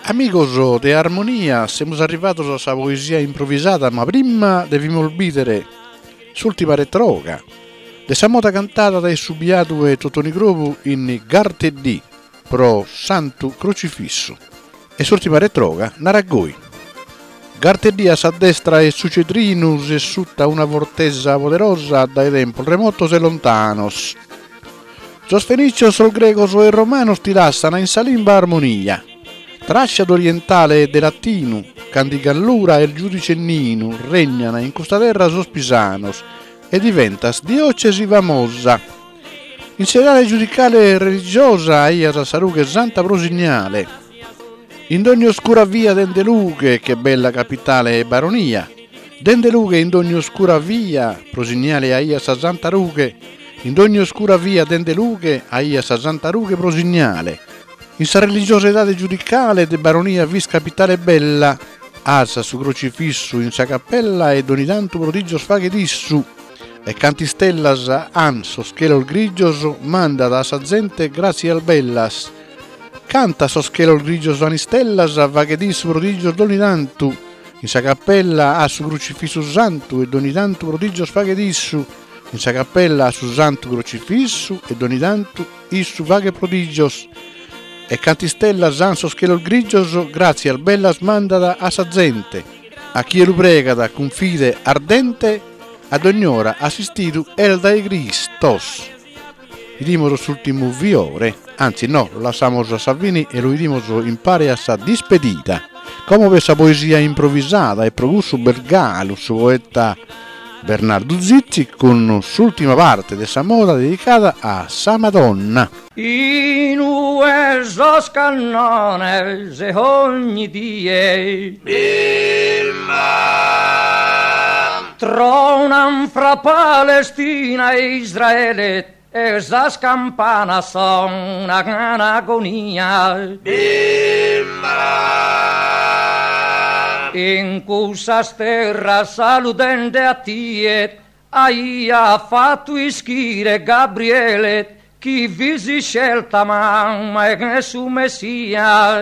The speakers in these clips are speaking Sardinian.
Amigos de Armonia, semus arrivados a sa poesia improvisada, ma prima devimus bìdere s'ùltima retroga de sa moda cantada dae su biadu 'e Totoni Crobu in Garteddì pro Santu Crocifissu. E s'ùrtima retroga narat goi. Garteddì a sa destra 'e su Cedrinu ses sutta una fortesa poderosa dae tempos remotos e lontanos. Sos fenicios, sos gregos e romanos ti lassan in sa limba armonia. Trascia d'orientale e de latinu, cand' in Gallura est giudice Ninu regnan in custa terra sos pisanos e diventas diocesi famosa. In s'edade giudicale e religiosa aias sa rughe santa pro signale. In dogni oscura via dende lughe che bella capitale e baronia. Dende lughe in dogni oscura via pro signale aias sa santa rughe. In dogni oscura via dende lughe aias sa santa rughe pro signale. In sa religiosa edade giudicale de baronia fis capitale bella. As su crocifissu in sa cappella e dogni tantu prodigios faghet issu. E cant'istellas han sos chelos grigios mandat a sa zente gratzias bellas. Cantas sos chelos grigios han istellas faghet issu prodigios dogni tantu. In sa cappella at su crucifissu santu e dogni tantu prodigios faghet issu. In sa cappella at su santu crocifissu e dogni tantu issu faghet prodigios. E cant'istellas han sos chelos grigios gratzias bellas mandat a sa zente. A chie lu pregat cun fide ardente a dogn'ora assistidu est dae Cristos. Idimos s'ultimu fiore, anzi no, lu lassamos a sa fine e lu idimos impare a sa dispedida. Como b'est sa poesia improvisada e pro cussu b'est galu su poeta Bernardu Zizi cun s'ultima parte de sa moda dedicada a sa Madonna. Inue sos cannones ogni die Tronan fra Palestina e Israele e sas campanas sonan agonia. In cussas terras saludende a tie Aiat fatu ischire Gabriele chi fis iscelta mama 'e su Messia.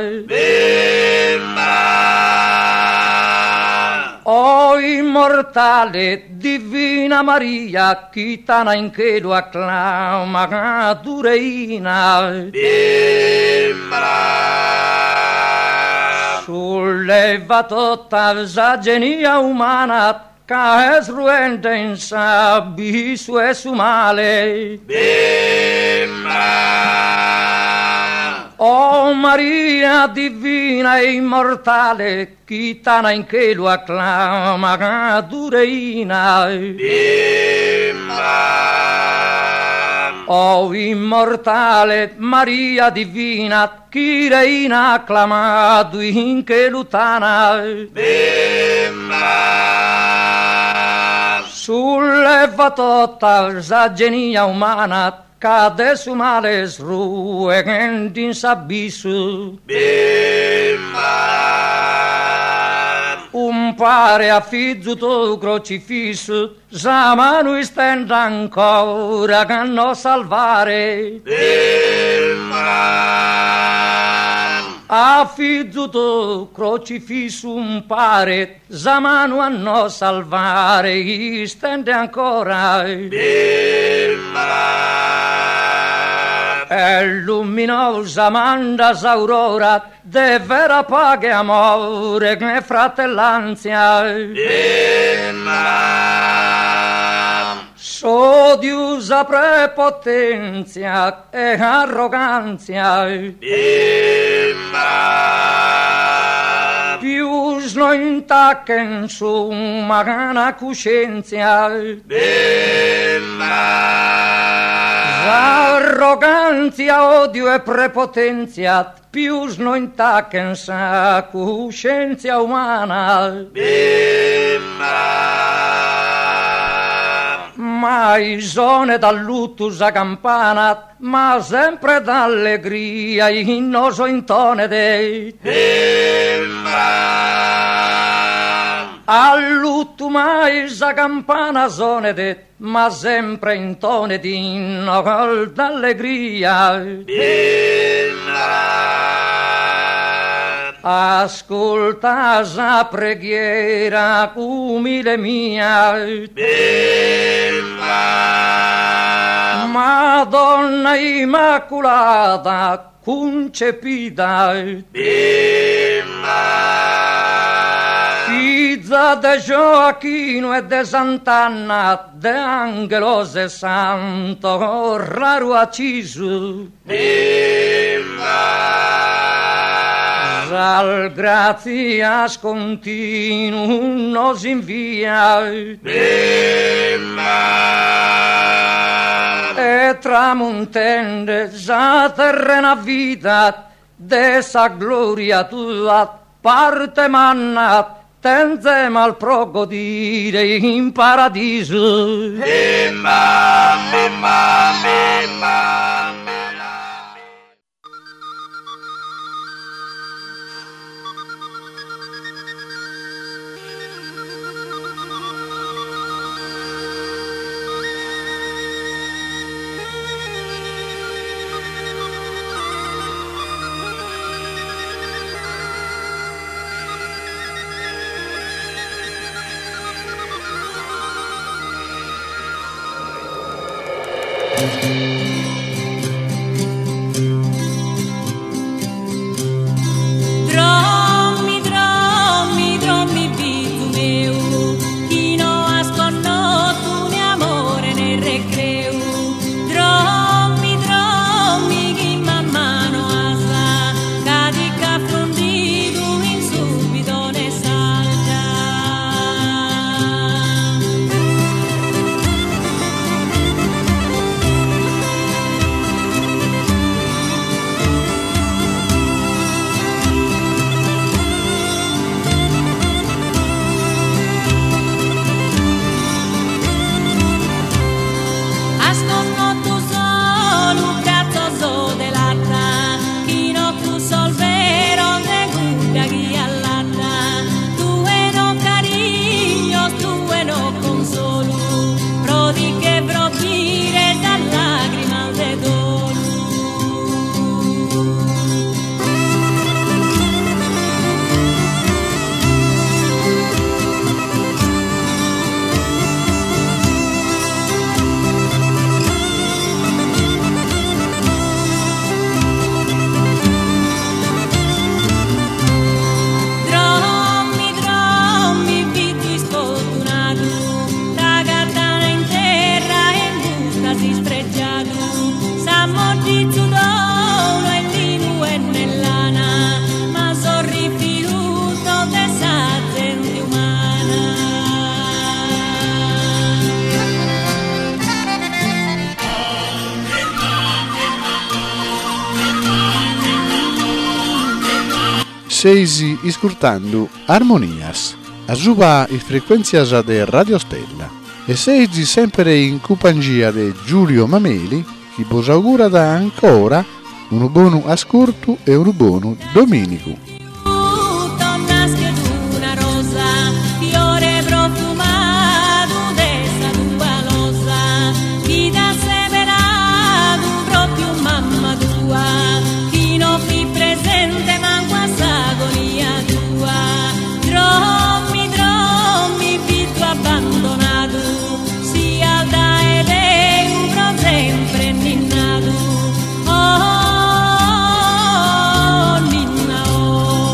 O immortale divina Maria chi t'ana in chelu acclamadu reina. Sulleva tota sa genia umana Ca est ruende in s'abissu 'e su male. O Maria divina e immortale chi t'ana in chelu acclamadu reina. O immortale Maria divina Chi reina acclamadu in chelu t'ana. Sulleva tota sa genia umana ca de su male est ruende in s'abissu. Umpare a fizu tou crocifissu Sa manu istende ancora a nos salvare. A fizu tou crocifissu umpare sa manu a nos salvare istende ancora. E luminosa manda s'aurora De vera paghe amore e fratellanzia. S'odiu sa prepotenzia e arroganzia. Pius no intachen s'umana cuscenzia. S'arroganzia odiu e prepotenzia Pius no intachen sa cuscenzia umana. Mai sonet a luttu sa campana, ma sempre d'allegria innos intonet. A luttu mai sa campana sonet, Ma sempre intonet innos d'allegria. Ascolta sa preghiera umile mia. Madonna Immaculata concepida. Fiza de Gioacchino e de Sant'Anna, de Angelos e Santo, raro acciso. Sal grazias continu nos invia. E tramontende sa terrena vida de sa gloria tua parte manna tenze mal pro godire in paradiso. Drommi, drommi, drommi, fizu meu, chi no has connotu né amore né recreu. Drommi, drommi, chi mamma no has, ca ti ch'at frundidu in su bidone 'e s'algia. Has connotu solu bratzos de latta, chi no cussos veros de cudda chi allatta. Tue no carignos, tue no consolu, pro ti che frobbire sas lagrimas de dolu. Drommi, drommi, fizu isfortunadu, t'agatana in terra e in bustas ispregiadu. S'ammoddizu tou no est linu e ne lana, ma sos rifiutos de sa zente umana. Seis iscurtando Armonias, asuba is frequentzias de Radio Stella. E seis sempre in cumpangia de Giulio Mameli, chi bos augurat ancora unu bonu ascurtu e unu bonu dominicu. Naschet una rosa, fiore profumadu de sa tua losa, chi t'at seberadu propriu mamma tua, chi no fit presente mancu a s'agonia tua. Drommi, drommi, fizu abbandonadu, sias dae Deu pro sempre ninnadu. Oh, ninna, oh.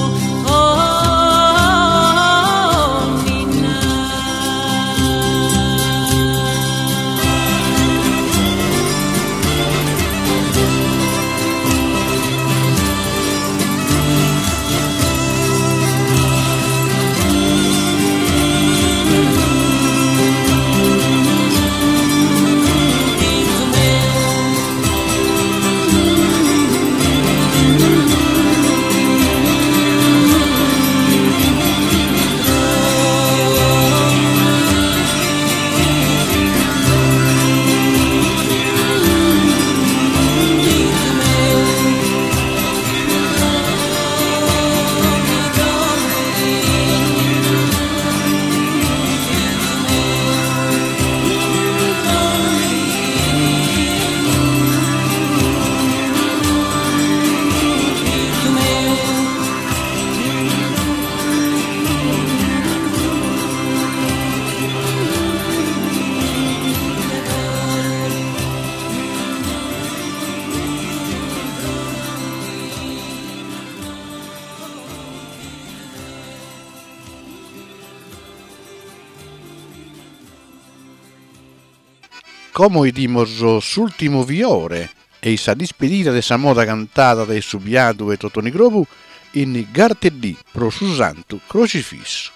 Como 'idimos s'ultimu fiore e-i sa dispedida de sa moda cantada dae su biadu 'e Totoni Crobu in Garteddì pro su Santu Crocifissu.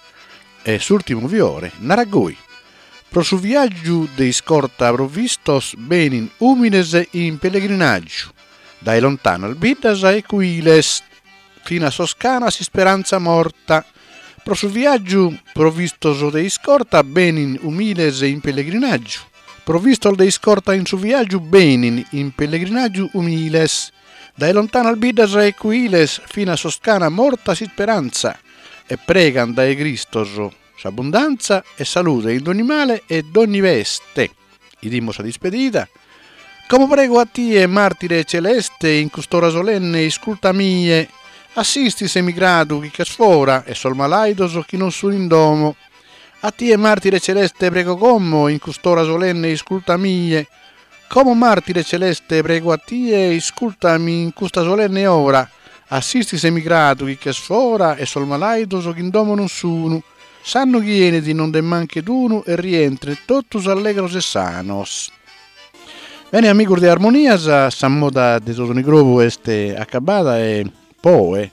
E s'ultimu fiore narat goi, Pro su viaggiu de iscorta provvistos benin umines in pellegrinaggiu dae lontanas biddas e cuiles fin'a sos ch'ana s'isperanza morta. Pro su viaggiu provvistos de iscorta benin umiles in pellegrinaggiu. Provvistos de iscorta in su viaggiu benin in pellegrinaggiu umiles dae lontanas biddas e cuiles fin'a sos ch'ana morta s'isperanza e pregan dae Cristos s'abbundanza e salude in dogni male e dogni peste. 'Idimos sa dispedida. Como prego a tie, martire celeste, in cust'ora solenne isculta a mie. Assisti s'emigradu chi ch'est fora e sos malaidos chi non sun in domo. A tie, martire celeste, prego como, in cust'ora solenne isculta a mie. Como martire celeste prego a tie, iscultami in custa solenne ora. Assisti s'emigradu chi ch'est fora e sos malaidos chi in domo non sunu. S'annu chi 'enit non nde manchet unu e rientren totus allegros e sanos. Bene amigos de Armonias, sa moda de Totoni Crobu est acabada e po oe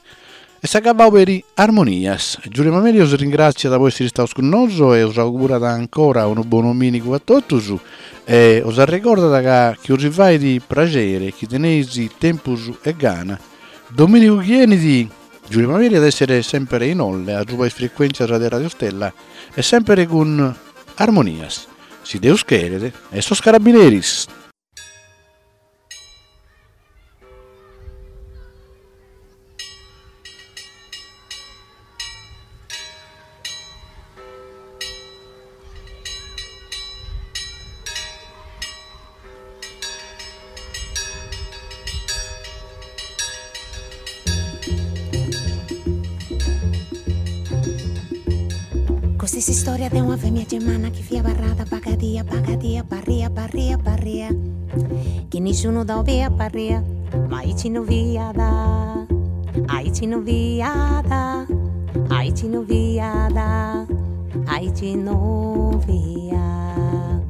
est acabau peri Armonias. Giulio Mameli os ringratziat po essere istados cun nosu e os augurat ancora unu bonu dominigu a totus e os arregordat ca chi os fait praxere chi teneis tempus e gana, dominigu chi 'enit Giulio Mameli at essere sempre in Olle a suba is frecuentzias de Radio Stella e sempre cun Armonias, si Deus cheret, e sos carabineris. Custa est s'istoria de una femia gemana chi fiat abarrada bagadia bagadia barria barria barria chi nisciunu dda 'obiat barria ma aici no fiat aici no fiat aici no fiat aici no fiat.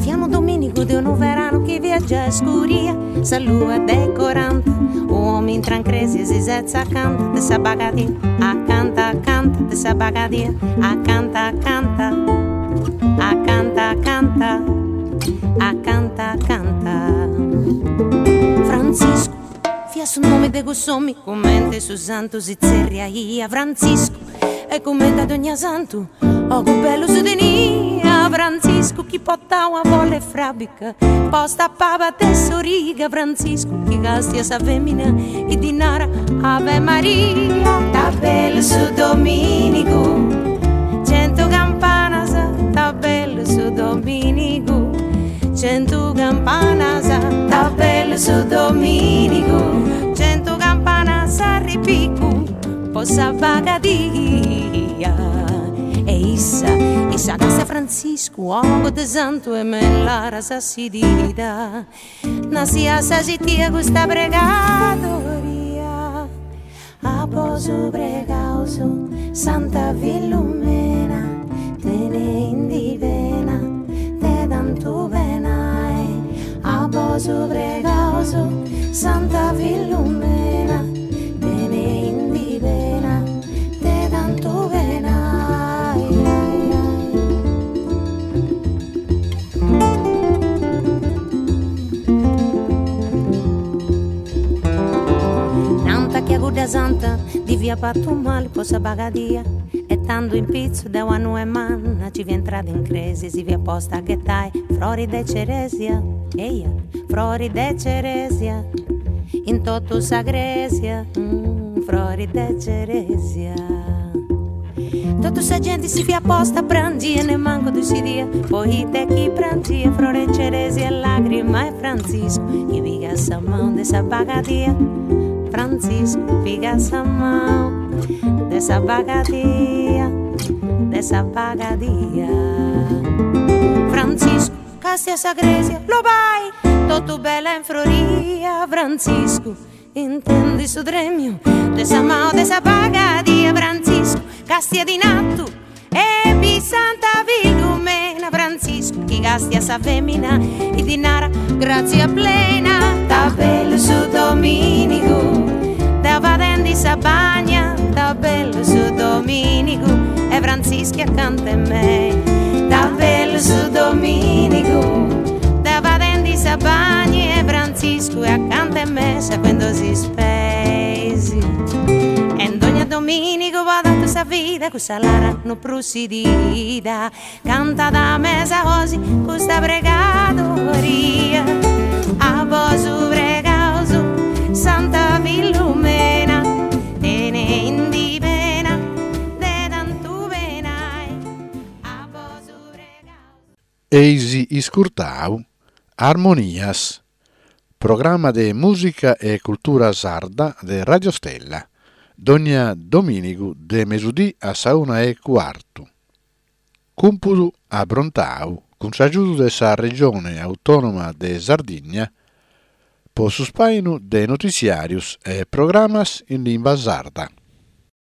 Fiat unu dominigu de unu veranu chi fiat giai scuria, sa lua de 40, u' omini intrat in cresia e si setzit acanta de sa bagadia, acanta acanta de sa bagadia, acanta acanta, acanta acanta, acanta acanta. Frantziscu fiat su nomini de cuss'omini, cumenti su santu si tzerriaiat Frantziscu E cumenti a dogna santu ogus bellus tenia Frantziscu chi portau una folla 'e frabica posta a paba de s'origa Frantziscu chi castia sa femina e ddi narat Ave Maria Ta bellu su dominigu centu campanas Ta bellu su dominigu centu campanas Ta bellu su dominigu centu campanas a ripicu Po sa bagadia E issa, issa castia Frantziscu ogus de santu e me in laras sidida Nascia sa citia custa pregadoria A bosu pregaus Santa Filumena Teneindi pena de tantu penai A bosu pregaus Santa Filumena Teneindi pena de tantu penai. Nanta chi a cudda santa ddi fiat fatu mali po sa bagadia e tandu in pitzu de una nue manna ci fiat intrada in cresia e si fiat posta a ghetai frori de ceresia, eia, frori de ceresia. In totu sa cresia, frori de ceresia. Totu sa genti si fiat posta a prangi e nemancu ddus scidiat poita chi prangiat frori 'e ceresia e lagrima 'e Frantziscu chi pigat sa manu de sa bagadia Frantziscu pigat sa manu de sa bagadia de sa bagadia Frantziscu Castia sa cresia, lobai, totu bella e froria, Frantziscu, intendi su tremiu de sa manu de sa bagadia, Frantziscu, castia in artu e bit Santa Filumena, Frantziscu. chi castia sa femina e ddi nara grazia plena. Ta bellu su dominigu deu fadendi sa bagna ta bellu su dominigu e Frantzischi acanta 'e mei. Ta bellu su dominigu deu fadendi sa bagna e Frantziscu acanta 'e mei sciacuendosì is peis. E dogna dominigu po totu sa vida cussa lara no prus sidida Cantat mesa 'oxi custa pregadoria A bosu pregaus Santa Filumena Teneindi pena de tantu penai A bosu pregaus. Eis iscurtau Armonias, programma de mùsica e cultura sarda de Radio Stella, dònnia domìnigu de mesudì a sa una e cuartu. Cumpudu aprontau cun s'agiudu de sa Regione Autònoma de Sardigna po su spàinu de notiziàrios e programas in limba sarda.